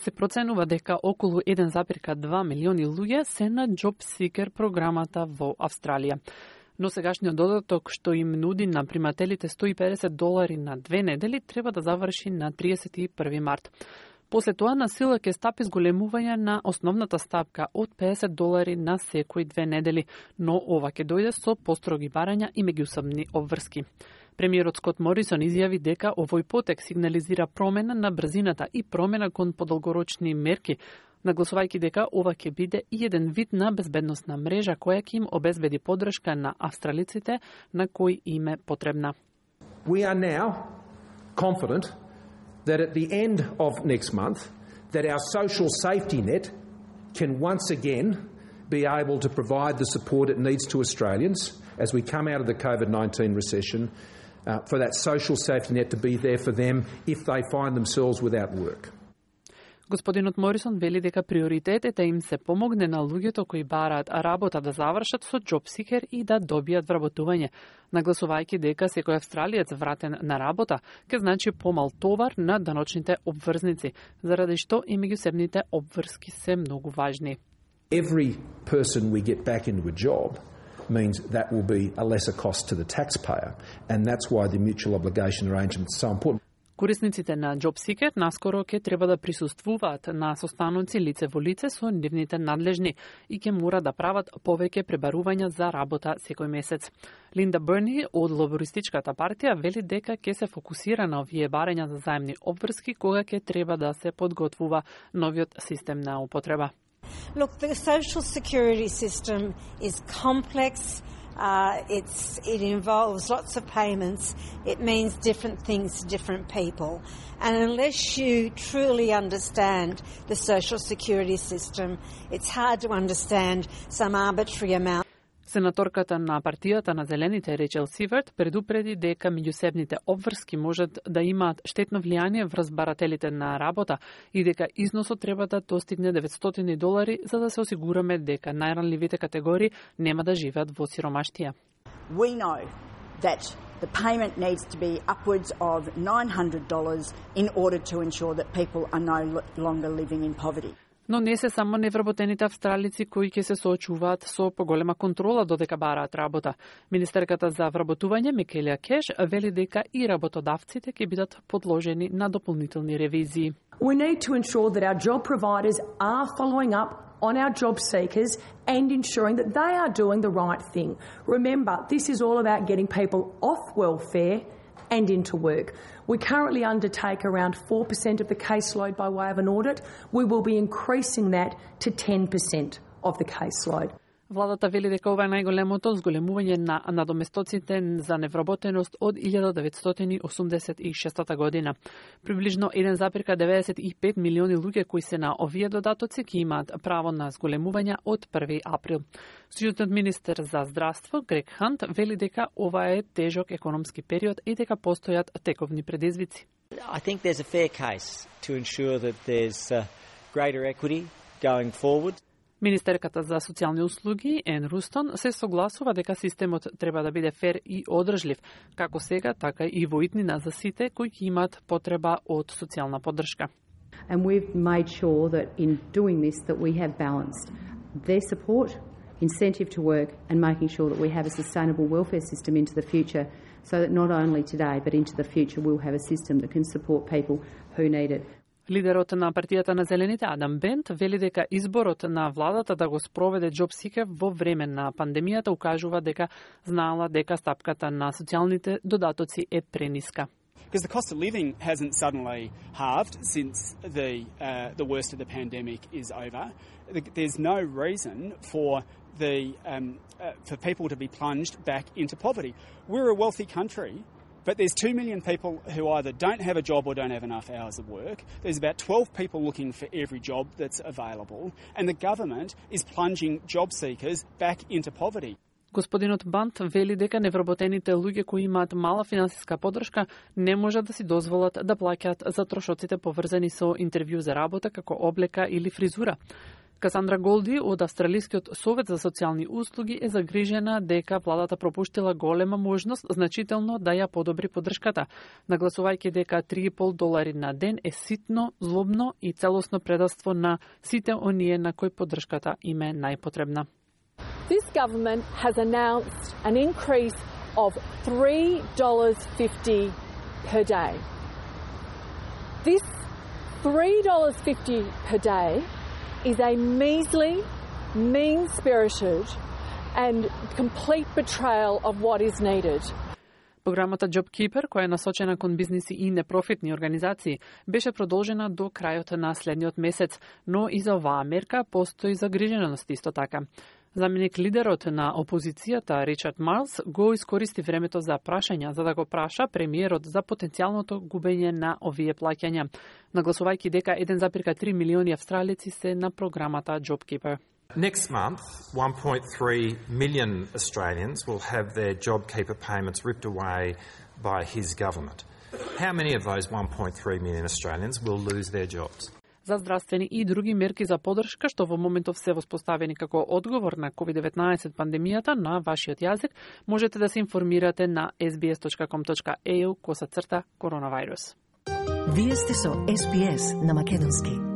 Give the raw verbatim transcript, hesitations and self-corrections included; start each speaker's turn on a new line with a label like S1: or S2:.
S1: се проценува дека околу еден зарез и две милиони луѓе се на Job Seeker програмата во Австралија. Но сегашниот додаток што им нуди на примателите сто и педесет долари на две недели треба да заврши на триесет и први март. После тоа на сила ќе стапи зголемување на основната стапка од педесет долари на секои две недели, но ова ќе дојде со построги барања и меѓусобни обврски. Премиерот Скот Морисон изјави дека овој потек сигнализира промена на брзината и промена кон подолгорочни мерки, нагласувајќи дека ова ќе биде и еден вид на безбедносна мрежа која ќе им обезбеди поддршка на австралиците на кои им е потребна.
S2: We are now confident that at the end of next month that our social safety net can once again be able to provide the support it needs to Australians as we come out of the COVID nineteen recession, uh, for that social safety net to be there for them if they find themselves without work.
S1: Господинот Морисон вели дека приоритетите им се помогне на луѓето кои бараат работа да завршат со Job Seeker и да добијат вработување, нагласувајќи дека секој австралиец вратен на работа ќе значи помал товар на даночните обврзници, заради што и меѓусебните обврски се многу важни.
S2: Every person we get back into a job means that will be a lesser cost to the taxpayer, and that's why the mutual obligation arrangement is so important.
S1: Корисниците на Job Seeker наскоро ќе треба да присуствуваат на состаноци лице во лице со нивните надлежни и ќе мора да прават повеќе пребарувања за работа секој месец. Линда Берни од Лабористичката партија вели дека ќе се фокусира на овие барања за заемни обврски кога ќе треба да се подготвува новиот систем на употреба.
S3: Look, the social security system is complex. Uh, it's, it involves lots of payments. It means different things to different people. And unless you truly understand the social security system, it's hard to understand some arbitrary amount.
S1: Сенаторката на партијата на Зелените Речел Сиверт предупреди дека меѓусебните обврски можат да имаат штетно влијание врз барателите на работа и дека износот треба да достигне деветстотини долари за да се осигураме дека најранливите категории нема да живеат во сиромаштија.
S4: We know that the payment needs to be upwards of nine hundred dollars in order to ensure that people are no longer living in poverty.
S1: Но не се само невработените австралици кои ќе се соочуваат со поголема контрола додека бараат работа. Министерката за вработување Микелија Кеш вели дека и работодавците ќе бидат подложени на дополнителни ревизии.
S5: We need to ensure that our job providers are following up on our job seekers and ensuring that they are doing the right thing. Remember, this is all about getting people off welfare and into work. We currently undertake around four percent of the caseload by way of an audit. We will be increasing that to ten percent of the caseload.
S1: Владата вели дека ова е најголемото зголемување на надоместоците за невработеност од илјада деветстотини осумдесет и шеста година. Приближно еден зарез деветдесет и пет милиони луѓе кои се на овие додатоци ќе имаат право на зголемување од први април. Сојузниот министер за здравство Грег Хант вели дека ова е тежок економски период и дека постојат тековни предизвици.
S6: I think there's a fair case to ensure that there's uh, greater equity going forward.
S1: Министерката за социјални услуги Ен Рустон се согласува дека системот треба да биде фер и одржлив, како сега, така и во иднина за сите кои ќе имаат потреба од социјална поддршка.
S7: And we've made sure that in doing this that we have balanced their support, incentive to work and making sure that we have a sustainable welfare system into the future so that not only today but into the future we'll have a system that can support people who need it.
S1: Лидерот на партијата на Зелените Адам Бент вели дека изборот на владата да го спроведе Job Seeker во време на пандемијата укажува дека знаела дека стапката на социјалните додатоци е прениска.
S8: Because the cost of living hasn't suddenly halved since the uh, the worst of the pandemic is over. There's no reason for the um, uh, for people to be plunged back into poverty. We're a wealthy country. But there's two million people who either don't have a job or don't have enough hours of work. There's about twelve people looking for every job that's available. And the government is plunging job seekers back into poverty.
S1: Господинот Бант вели дека невработените луѓе кои имаат мала финансиска поддршка не можат да си дозволат да плаќаат за трошоците поврзани со интервју за работа како облека или фризура. Касандра Голди од Австралискиот совет за социјални услуги е загрижена дека владата пропуштила голема можност значително да ја подобри поддршката, нагласувајќи дека три и пол долари на ден е ситно, злобно и целосно предавство на сите оние на кои поддршката им е најпотребна.
S9: This government has announced an increase of three dollars fifty per day. This three dollars fifty per day is a measly, mean-spirited and complete betrayal of what is needed.
S1: Програмата JobKeeper, која е насочена кон бизниси и непрофитни организации, беше продолжена до крајот на следниот месец, но и за оваа мерка постои загриженост исто така. Заменик лидерот на опозицијата Ричард Марлс го искористи времето за прашања за да го праша премиерот за потенцијалното губење на овие плаќања, нагласувајќи дека еден зарез три милиони австралици се на програмата JobKeeper.
S10: Next month, one point three million Australians will have their JobKeeper payments ripped away by his government. How many of those one point three million Australians will lose their jobs?
S1: За здравствени и други мерки за поддршка што во моментов се воспоставени како одговор на ковид деветнаесет пандемијата на вашиот јазик, можете да се информирате на ес би ес точка ком точка е ю косацрта коронавирус.
S11: Вие сте со ес би ес на македонски.